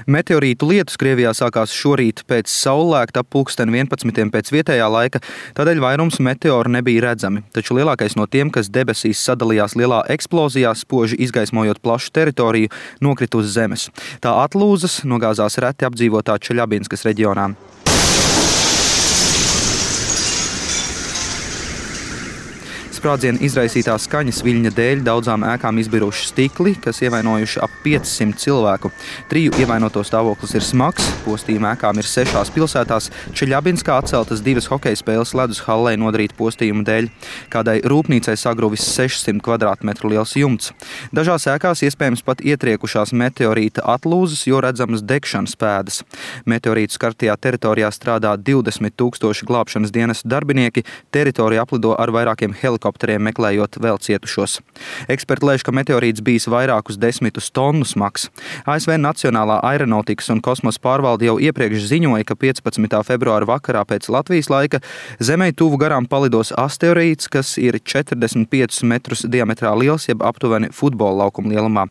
Meteorītu lietus Krievijā sākās šorīt pēc saulēkta ap 11:00 pēc vietējā laika, tādēļ vairums meteoru nebija redzami, taču lielākais no tiem, kas debesīs sadalījās lielā eksplozijā, spoži izgaismojot plašu teritoriju, nokrita uz zemes. Tā atlūzas nogāzās reti apdzīvotā Čeļabinskas reģionā. Sprādziena izraisītā skaņas viļņa dēļ daudzām ēkām izbiruši stikli, kas ievainojuši ap 500 cilvēku. 3 ievainoto stāvoklis ir smags, postījuma ēkām ir 6 pilsētās, Čeļabinskā atceltas 2 hokeja spēles ledus hallē nodarīta postījuma dēļ. Kādai rūpnīcai sagruvis 600 kvadrātmetru liels jumts. Dažās ēkās iespējams pat ietriekušās meteorīta atlūzas, jo redzamas degšanas pēdas. Meteorītu skartajā teritorijā strādā 20 000 glābšanas dienesta darbinieki, teritoriju aplido ar vairākiem helikopteriem meklējot vēl cietušos. Eksperti lēš, ka meteorīts bijis vairākus 10 tonu smags. ASV Nacionālā aeronautikas un kosmosa pārvalde jau iepriekš ziņoja, ka 15. februāra vakarā pēc Latvijas laika Zemei tuvu garām palidos asteroīds, kas ir 45 metrus diametrā liels, jeb aptuveni futbola laukuma lielumā.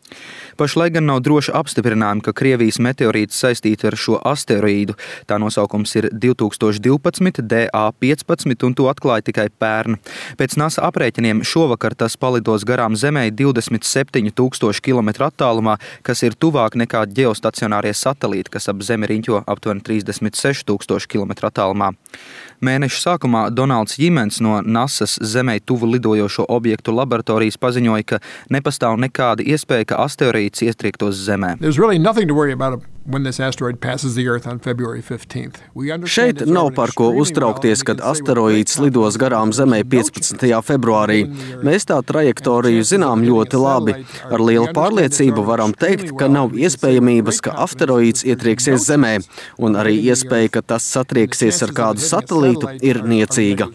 Pašlaik gan nav droši apstiprinājumi, ka Krievijas meteorīts saistīti ar šo asteroīdu. Tā nosaukums ir 2012 DA15 un to atklāja tikai pērn. Pēc NASA aprēķiniem šovakar tas palidos garām Zemei 27 000 km attālumā, kas ir tuvāk nekā ģeostacionārie satelīti, kas ap Zemi riņķo aptuveni 36 000 km attālumā. Mēneša sākumā Donalds Jimens no NASA's Zemei tuvu lidojošo objektu laboratorijas paziņoja, ka nepastāv nekāda iespēja, ka asteroīds iestriektos Zemē. Šeit nav par ko uztraukties, kad asteroīds lidos garām Zemei 15. februārī. Mēs tā trajektoriju zinām ļoti labi. Ar lielu pārliecību varam teikt, ka nav iespējamības, ka asteroīds ietrieksies Zemē, un arī iespēja, ka tas satrieksies ar kādu satelītu, ir niecīga.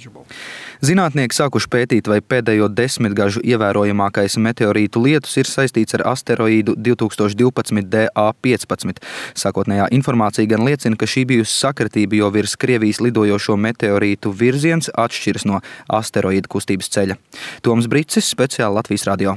Zinātnieki sākuši pētīt, vai pēdējo 10 gažu ievērojamākais meteorītu lietus ir saistīts ar asteroīdu 2012 DA15. Sākotnējā informācija gan liecina, ka šī bijusi sakritība, jo virs Krievijas lidojošo meteorītu virziens atšķiras no asteroīdu kustības ceļa. Toms Bricis, speciāli Latvijas radio.